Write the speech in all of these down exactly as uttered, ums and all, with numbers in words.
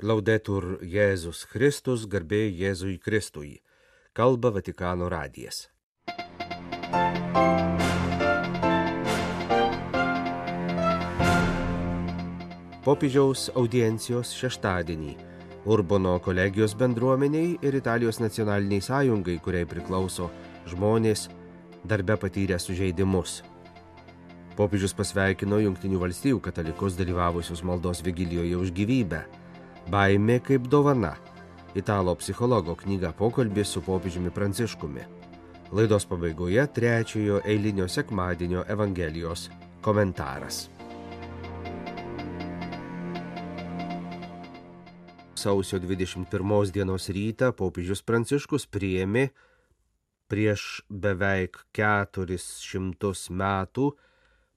Laudetur Jėzus Kristus, garbė Jėzui Kristui. Kalba Vatikano radijas. Popiežiaus audiencijos šeštadienį Urbono kolegijos bendruomeniai ir Italijos nacionaliniai sąjungai, kuriai priklauso žmonės darbe patyrę sužeidimus. Popiežius pasveikino Jungtinių valstijų katalikus dalyvavusius maldos vigilijoje už gyvybę. Baimė kaip dovana. Italo psichologo knyga Pokalbis su popiežiumi Pranciškumi. Laidos pabaigoje trečiojo eilinio sekmadienio Evangelijos komentaras. Sausio dvidešimt pirmos dienos rytą popiežius Pranciškus priėmė prieš beveik keturis šimtus metų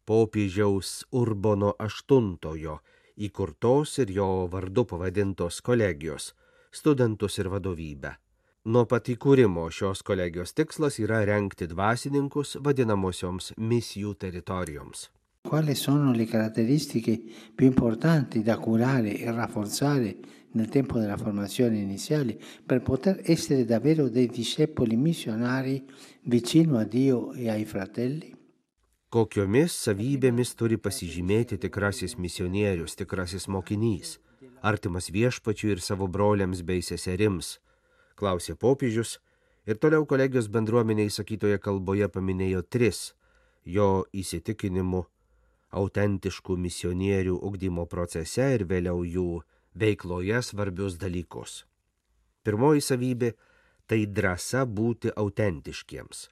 popiežiaus Urbono aštuntojo įkurtos ir jo vardu pavadintos kolegijos, studentus ir vadovybę. Nuo pat įkūrimo šios kolegijos tikslas yra rengti dvasininkus vadinamosioms misijų teritorijoms. Quali sono le caratteristiche più importanti da curare e rafforzare nel tempo della formazione iniziale per poter essere davvero dei discepoli missionari vicino a Dio e ai fratelli? Kokiomis savybėmis turi pasižymėti tikrasis misionierius, tikrasis mokinys, artimas viešpačiui ir savo broliams bei seserims, klausė popiežius ir toliau kolegijos bendruomeniai sakytoje kalboje paminėjo tris jo įsitikinimu autentiškų misionierių ugdymo procese ir vėliau jų veikloje svarbius dalykus. Pirmoji savybė – tai drąsa būti autentiškiems.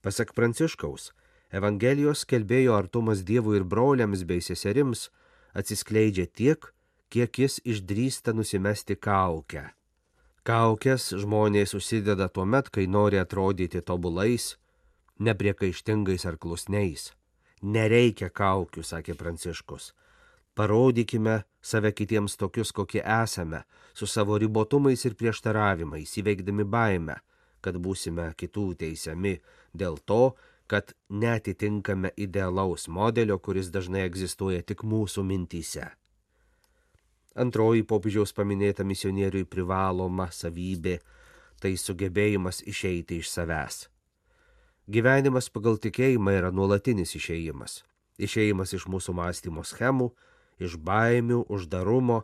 Pasak Pranciškaus, Evangelijos skelbėjo artumas Dievui ir broliams bei seserims atsiskleidžia tiek, kiek jis išdrįsta nusimesti kaukę. Kaukės žmonės užsideda tuomet, kai nori atrodyti tobulais, nepriekaištingais ar klusniais. Nereikia kaukių, sakė Pranciškus. Parodykime save kitiems tokius, kokie esame, su savo ribotumais ir prieštaravimais, įveikdami baimę, kad būsime kitų teisiami dėl to, kad netitinkame idealaus modelio, kuris dažnai egzistuoja tik mūsų mintyse. Antroji popiežiaus paminėta misionieriui privaloma savybė – tai sugebėjimas išeiti iš savęs. Gyvenimas pagal tikėjimą yra nuolatinis išėjimas. Išėjimas iš mūsų mąstymo schemų, iš baimių, uždarumo,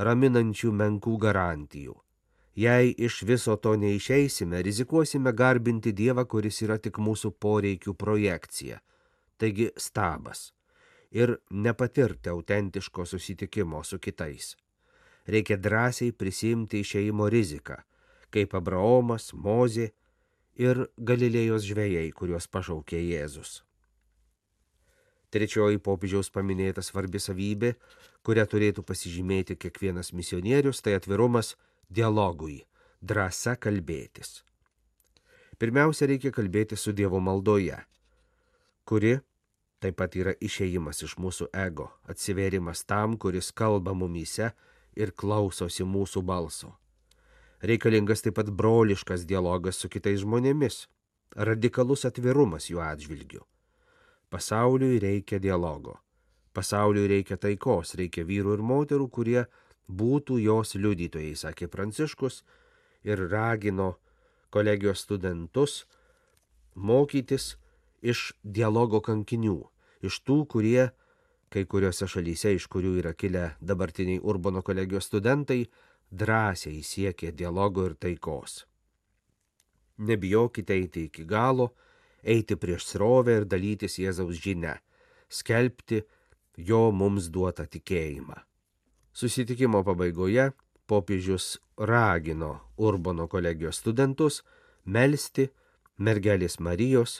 raminančių menkų garantijų. Jei iš viso to neišeisime, rizikuosime garbinti Dievą, kuris yra tik mūsų poreikių projekcija, taigi stabas, ir nepatirti autentiško susitikimo su kitais. Reikia drąsiai prisiimti išėjimo riziką, kaip Abraomas, Mozė ir Galilėjos žvejai, kuriuos pašaukė Jėzus. Trečioji popiežiaus paminėta svarbi savybė, kurią turėtų pasižymėti kiekvienas misionierius, tai atvirumas dialogui, drąsa kalbėtis. Pirmiausia, reikia kalbėti su Dievo maldoje, kuri taip pat yra išėjimas iš mūsų ego, atsivėrimas tam, kuris kalba mumyse ir klausosi mūsų balso. Reikalingas taip pat broliškas dialogas su kitais žmonėmis, radikalus atvirumas jų atžvilgiu. Pasauliui reikia dialogo, pasauliui reikia taikos, reikia vyrų ir moterų, kurie būtų jos liudytojai, sakė Pranciškus, ir ragino kolegijos studentus mokytis iš dialogo kankinių, iš tų, kurie, kai kuriuose šalyse, iš kurių yra kilę dabartiniai Urbono kolegijos studentai, drąsiai siekė dialogo ir taikos. Nebijokite eiti iki galo, eiti prieš srovę ir dalytis Jėzaus žinia, skelbti jo mums duotą tikėjimą. Susitikimo pabaigoje popiežius ragino Urbono kolegijos studentus melsti mergelės Marijos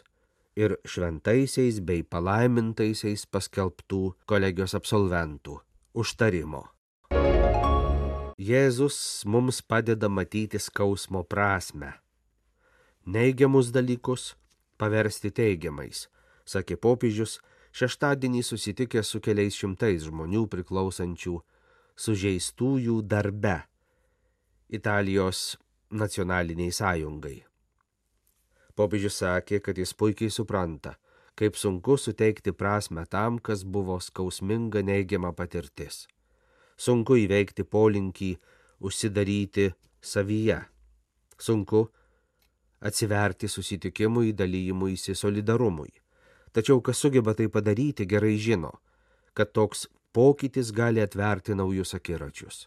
ir šventaisiais bei palaimintaisiais paskelbtų kolegijos absolventų užtarimo. Jėzus mums padeda matyti skausmo prasmę. Neigiamus dalykus paversti teigiamais, sakė popiežius, šeštadienį susitikęs su keliais šimtais žmonių priklausančių sužeistųjų darbe Italijos nacionaliniai sąjungai. Popiežius sakė, kad jis puikiai supranta, kaip sunku suteikti prasmę tam, kas buvo skausminga neigiama patirtis. Sunku įveikti polinkį užsidaryti savyje. Sunku atsiverti susitikimui, dalyjimuisi, solidarumui. Tačiau kas sugeba tai padaryti, gerai žino, kad toks pokytis gali atverti naujus akiračius.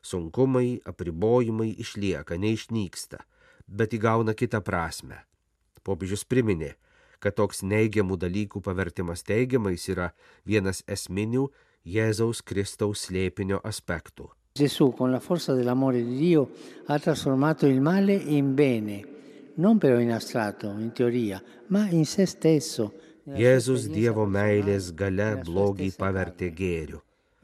Sunkumai, apribojimai išlieka, neišnyksta, bet įgauna kitą prasme. Popiežius priminė, kad toks neigiamų dalykų pavertimas teigiamais yra vienas esminių Jėzaus Kristaus slėpinio aspektų. Gesù, con la forza dell'amore di Dio, ha trasformato il male in bene, non però in astratto, in teoria, ma in se stesso. Jėzus Dievo meilės galia blogį pavertė gėriu.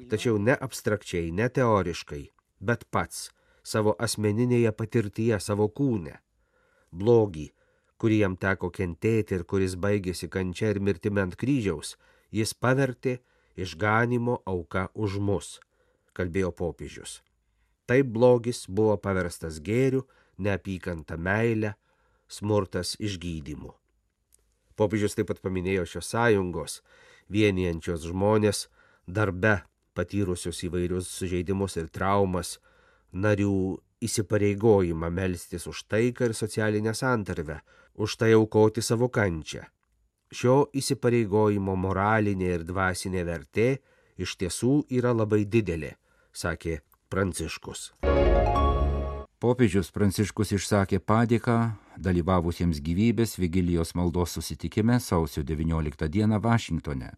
Tačiau ne abstrakčiai, ne teoriškai, bet pats, savo asmeninėje patirtyje, savo kūne. Blogį, kurį jam teko kentėti ir kuris baigėsi kančia ir mirtimi ant kryžiaus, jis pavertė išganymo auka už mus, kalbėjo popiežius. Taip blogis buvo paverstas gėriu, neapykanta meile, smurtas išgydymu. Popiežius taip pat paminėjo šios sąjungos, vienijančios žmonės, darbe patyrusius įvairius sužeidimus ir traumas, narių įsipareigojimą melstis už taiką ir socialinę santarvę, už tai aukoti savo kančią. Šio įsipareigojimo moralinė ir dvasinė vertė iš tiesų yra labai didelė, sakė Pranciškus. Popiežius Pranciškus išsakė padėką dalyvavusiems gyvybės vigilijos maldos susitikime sausio devynioliktą dieną Vašingtone.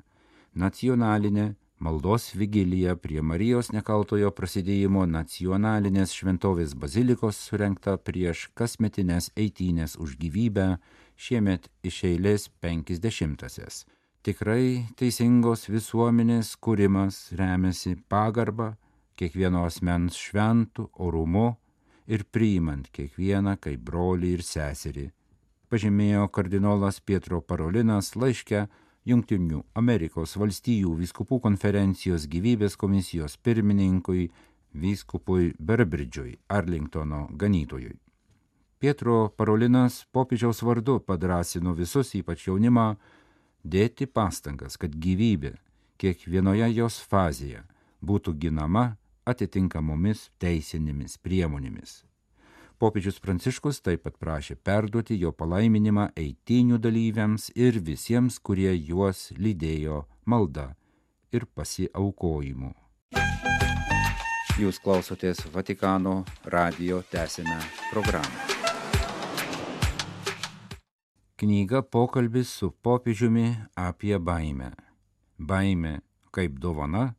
Nacionalinė maldos vigilija prie Marijos nekaltojo prasidėjimo nacionalinės šventovės bazilikos surengta prieš kasmetines eitynės už gyvybę, šiemet iš eilės penkiasdešimtasias. Tikrai teisingos visuomenės kūrimas remiasi pagarba, kiekvieno asmens šventų orumu ir priimant kiekvieną kaip brolį ir seserį, pažymėjo kardinolas Pietro Parolinas laiške Jungtinių Amerikos valstijų vyskupų konferencijos gyvybės komisijos pirmininkui vyskupui Berbridžui, Arlingtono ganytojui. Pietro Parolinas popiežiaus vardu padrąsino visus, ypač jaunimą, dėti pastangas, kad gyvybė kiekvienoje jos fazėje būtų ginama atitinkamomis teisinėmis priemonėmis. Popiežius Pranciškus taip pat prašė perduoti jo palaiminimą eitynių dalyviams ir visiems, kurie juos lydėjo malda ir pasiaukojimu. Jūs klausotės Vatikano radijo tęsinę programą. Knyga Pokalbis su popiežiumi apie baimę. Baimė kaip dovana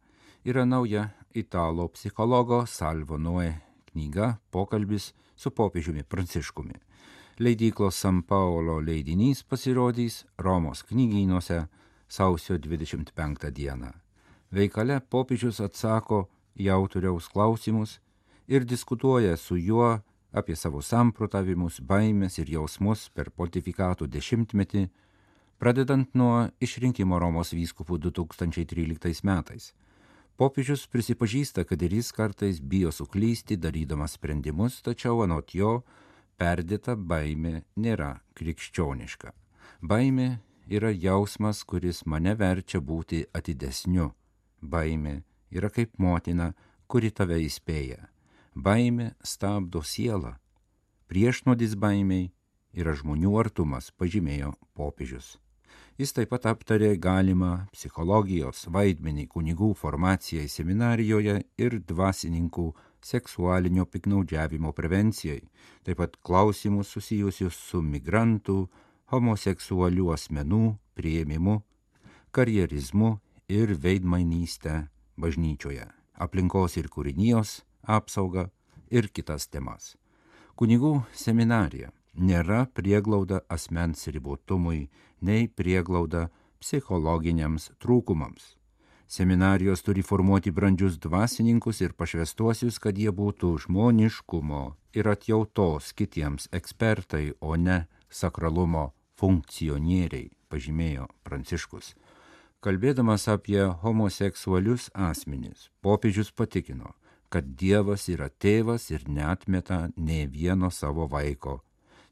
yra nauja italo psichologo Salvo Noe knyga Pokalbis su popiežiumi Pranciškumi. Leidyklos San Paolo leidinys pasirodys Romos knygynuose sausio dvidešimt penktą dieną. Veikale popiežius atsako į autoriaus klausimus ir diskutuoja su juo apie savo samprotavimus, baimės ir jausmus per pontifikato dešimtmetį, pradedant nuo išrinkimo Romos vyskupų du tūkstančiai tryliktais metais. Popiežius prisipažįsta, kad ir jis kartais bijo suklysti, darydamas sprendimus, tačiau anot jo perdėta baimė nėra krikščioniška. Baimė yra jausmas, kuris mane verčia būti atidesniu. Baimė yra kaip motina, kuri tave įspėja. Baimė stabdo sielą. Priešnuodis baimiai yra žmonių artumas, pažymėjo popiežius. Jis taip pat aptarė galimą psichologijos vaidmenį kunigų formacijai seminarijoje ir dvasininkų seksualinio piktnaudžiavimo prevencijai, taip pat klausimus susijusius su migrantų, homoseksualių asmenų priėmimu, karjerizmu ir veidmainystę bažnyčioje, aplinkos ir kūrinijos apsaugą ir kitas temas. Kunigų seminarija nėra prieglauda asmens ribotumui, nei prieglauda psichologiniams trūkumams. Seminarijos turi formuoti brandžius dvasininkus ir pašvestuosius, kad jie būtų žmoniškumo ir atjautos kitiems ekspertai, o ne sakralumo funkcionieriai, pažymėjo Pranciškus. Kalbėdamas apie homoseksualius asmenis, popiežius patikino, kad Dievas yra tėvas ir neatmeta nė vieno savo vaiko.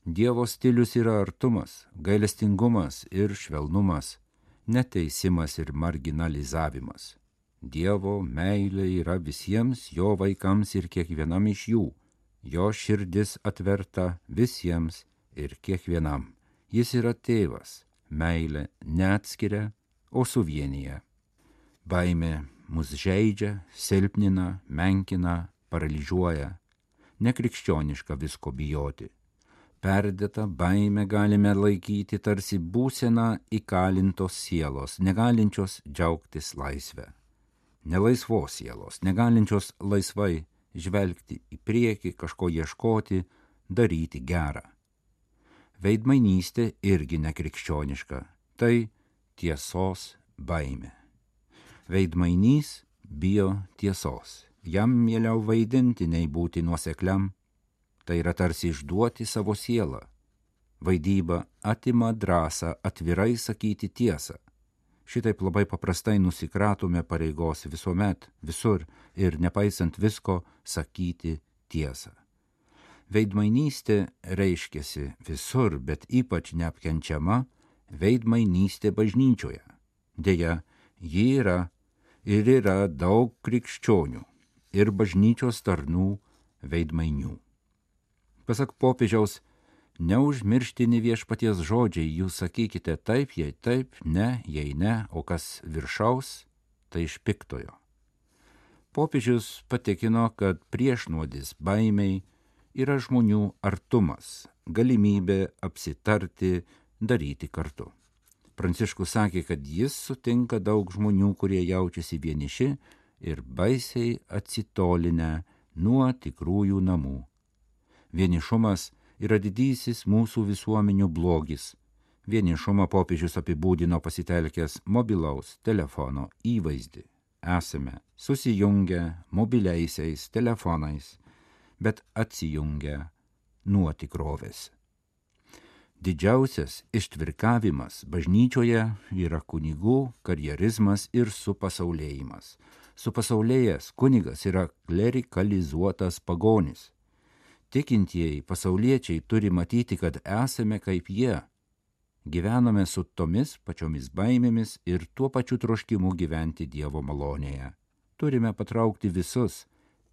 Dievo stilius yra artumas, gailestingumas ir švelnumas, neteisimas ir marginalizavimas. Dievo meilė yra visiems jo vaikams ir kiekvienam iš jų. Jo širdis atverta visiems ir kiekvienam. Jis yra tėvas, meilė neatskiria, o suvienyje. Baimė mus žeidžia, silpnina, menkina, paralyžiuoja. Nekrikščioniška visko bijoti. Perdėtą baimę galime laikyti tarsi būseną įkalintos sielos, negalinčios džiaugtis laisvę. Nelaisvos sielos, negalinčios laisvai žvelgti į priekį, kažko ieškoti, daryti gerą. Veidmainystė irgi nekrikščioniška, tai tiesos baimė. Veidmainys bijo tiesos, jam mieliau vaidinti nei būti nuosekliam, tai yra tarsi išduoti savo sielą. Vaidyba atima drąsą atvirai sakyti tiesą. Šitaip labai paprastai nusikratome pareigos visuomet, visur ir nepaisant visko sakyti tiesą. Veidmainystė reiškiasi visur, bet ypač neapkenčiama veidmainystė bažnyčioje. Deja, ji yra ir yra daug krikščionių ir bažnyčios tarnų veidmainių. Pasak popiežiaus, neužmirštini viešpaties žodžiai, jūs sakykite taip, jei taip, ne, jei ne, o kas viršaus, tai iš piktojo. Popiežius patikino, kad priešnuodis baimiai yra žmonių artumas, galimybė apsitarti, daryti kartu. Pranciškus sakė, kad jis sutinka daug žmonių, kurie jaučiasi vieniši ir baisiai atsitolinę nuo tikrųjų namų. Vienišumas yra didysis mūsų visuomenių blogis. Vienišumą popiežius apibūdino pasitelkęs mobilaus telefono įvaizdį. Esame susijungę mobiliaisiais telefonais, bet atsijungę nuo tikrovės. Didžiausias ištvirkavimas bažnyčioje yra kunigų karjerizmas ir supasaulėjimas. Supasaulėjęs kunigas yra klerikalizuotas pagonis. Tikintieji pasauliečiai turi matyti, kad esame kaip jie. Gyvename su tomis pačiomis baimėmis ir tuo pačiu troškimu gyventi Dievo malonėje. Turime patraukti visus,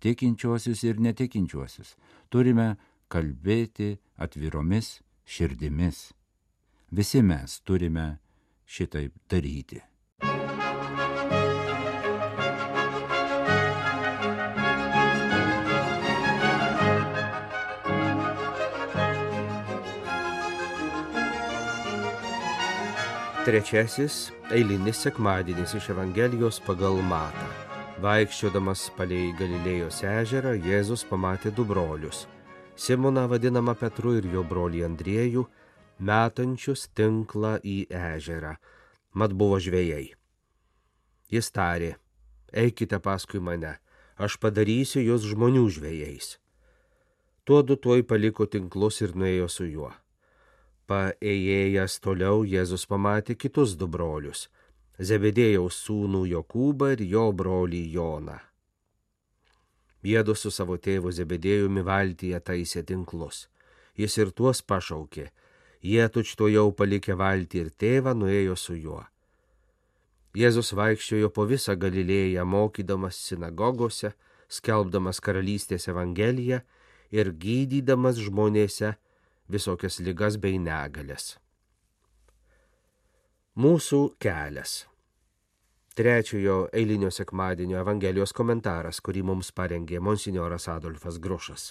tikinčiuosius ir netikinčiuosius. Turime kalbėti atviromis širdimis. Visi mes turime šitaip daryti. Trečiasis eilinis sekmadienis iš Evangelijos pagal Matą. Vaikščiodamas palei Galilėjos ežerą, Jėzus pamatė du brolius. Simoną vadinamą Petru ir jo brolį Andriejų, metančius tinklą į ežerą, mat buvo žvejai. Jis tarė, eikite paskui mane, aš padarysiu jūs žmonių žvejais. Tuodu tuoj paliko tinklus ir nuėjo su juo. Paėjėjęs toliau, Jėzus pamatė kitus du brolius, Zebedėjaus sūnų Jokūbą ir jo brolį Joną. Jiedu su savo tėvu Zebedėjumi valtyje taisė tinklus. Jis ir tuos pašaukė. Jie tučtuojau palikę valtį ir tėvą nuėjo su juo. Jėzus vaikščiojo po visą Galilėją, mokydamas sinagogose, skelbdamas karalystės evangeliją ir gydydamas žmonėse visokias ligas bei negalias. Mūsų kelias. Trečiojo eilinio sekmadienio Evangelijos komentaras, kurį mums parengė monsinjoras Adolfas Grušas.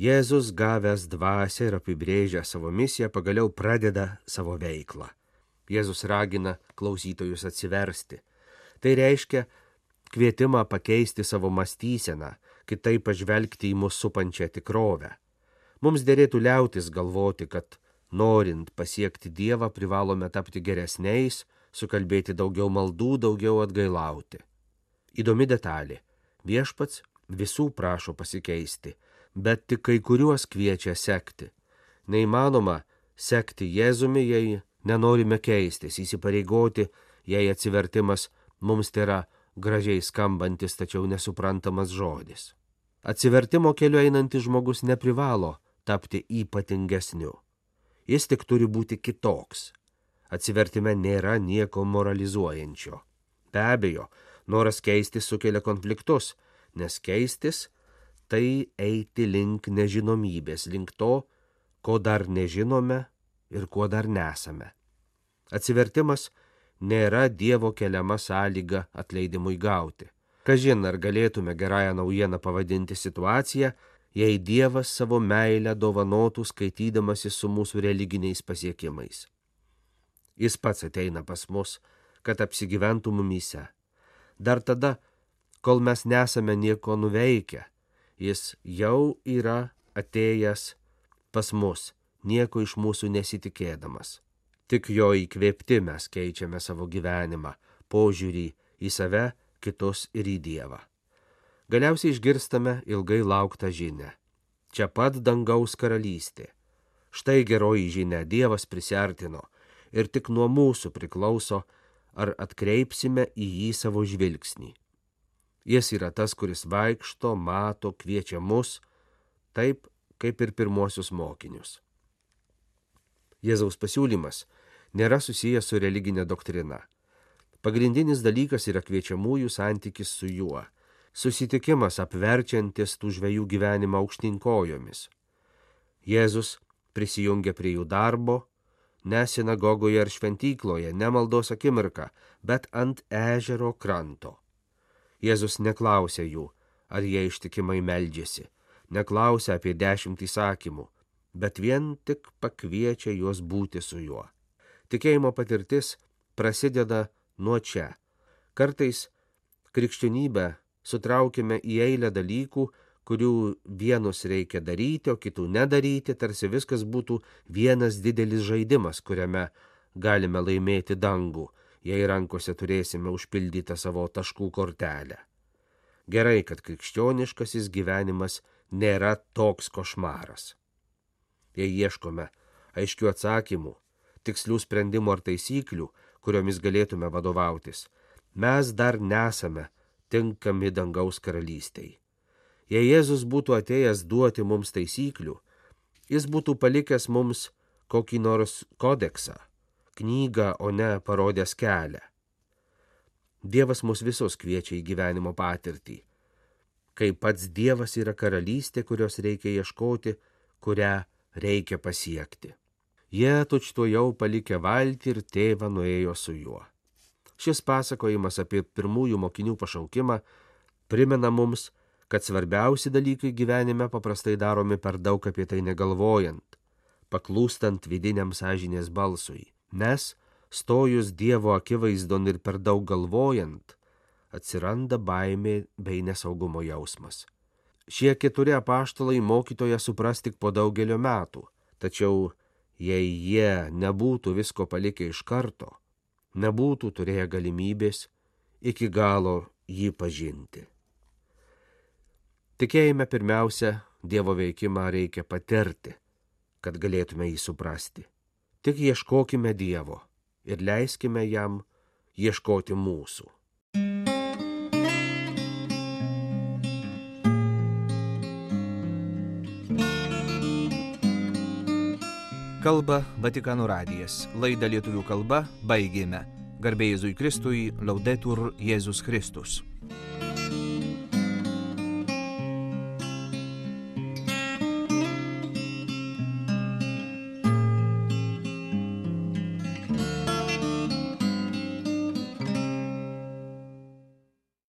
Jėzus, gavęs dvasią ir apibrėžęs savo misiją, pagaliau pradeda savo veiklą. Jėzus ragina klausytojus atsiversti. Tai reiškia kvietimą pakeisti savo mąstyseną, kitaip pažvelgti į mus supančią tikrovę. Mums derėtų liautis galvoti, kad norint pasiekti Dievą privalome tapti geresniais, sukalbėti daugiau maldų, daugiau atgailauti. Įdomi detalė. Viešpats visų prašo pasikeisti, bet tik kai kuriuos kviečia sekti. Neįmanoma sekti Jėzumi, jei nenorime keistis, įsipareigoti, jei atsivertimas mums tai yra gražiai skambantis, tačiau nesuprantamas žodis. Atsivertimo keliu einantis žmogus neprivalo tapti ypatingesniu. Jis tik turi būti kitoks. Atsivertime nėra nieko moralizuojančio. Be abejo, Noras keistis sukelia konfliktus, nes keistis tai eiti link nežinomybės, link to, ko dar nežinome ir kuo dar nesame. Atsivertimas nėra Dievo keliama sąlyga atleidimui gauti. Kažin, ar galėtume gerąją naujieną pavadinti situaciją, jei Dievas savo meilę dovanotų skaitydamasis su mūsų religiniais pasiekimais. Jis pats ateina pas mus, kad apsigyventų mumyse. Dar tada, kol mes nesame nieko nuveikę, jis jau yra atėjęs pas mus, nieko iš mūsų nesitikėdamas. Tik jo įkvėpti mes keičiame savo gyvenimą, požiūrį į save, kitus ir į Dievą. Galiausiai išgirstame ilgai lauktą žinią. Čia pat dangaus karalystė. Štai geroji žinia, Dievas prisiartino ir tik nuo mūsų priklauso, ar atkreipsime į jį savo žvilgsnį. Jis yra tas, kuris vaikšto, mato, kviečia mus, taip kaip ir pirmuosius mokinius. Jėzaus pasiūlymas nėra susijęs su religinė doktrina. Pagrindinis dalykas yra kviečiamųjų santykis su juo, susitikimas apverčiantis tų žvejų gyvenimą aukštyn kojomis. Jėzus prisijungia prie jų darbo, ne sinagogoje ar šventykloje, ne maldos akimirką, bet ant ežero kranto. Jėzus neklausia jų, ar jie ištikimai meldžiasi, neklausia apie dešimt įsakymų, bet vien tik pakviečia juos būti su juo. Tikėjimo patirtis prasideda nuo čia. Kartais krikščionybę sutraukime į eilę dalykų, kurių vienus reikia daryti, o kitų nedaryti, tarsi viskas būtų vienas didelis žaidimas, kuriame galime laimėti dangų, jei rankose turėsime užpildytą savo taškų kortelę. Gerai, kad krikščioniškasis gyvenimas nėra toks košmaras. Jei ieškome aiškių atsakymų, tikslių sprendimų ar taisyklių, kuriomis galėtume vadovautis, mes dar nesame tinkami dangaus karalystei. Jei Jėzus būtų atėjęs duoti mums taisyklių, jis būtų palikęs mums kokį nors kodeksą, knygą, o ne parodęs kelią. Dievas mus visus kviečia į gyvenimo patirtį, kai pats Dievas yra karalystė, kurios reikia ieškoti, kurią reikia pasiekti. Jie tučtuojau palikę valtį ir tėvą nuėjo su juo. Šis pasakojimas apie pirmųjų mokinių pašaukimą primena mums, kad svarbiausi dalykai gyvenime paprastai daromi per daug apie tai negalvojant, paklūstant vidiniam sąžinės balsui, nes stojus Dievo akivaizdon ir per daug galvojant, atsiranda baimė bei nesaugumo jausmas. Šie keturi apaštalai mokytoją supras tik po daugelio metų, tačiau jei jie nebūtų visko palikę iš karto, nebūtų turėję galimybės iki galo jį pažinti. Tikėjime pirmiausia, Dievo veikimą reikia patirti, kad galėtume jį suprasti. Tik ieškokime Dievo ir leiskime jam ieškoti mūsų. Kalba Vatikano radijas. Laidą lietuvių kalba baigėme. Garbė Jėzui Kristui, Laudetur Jėzus Kristus.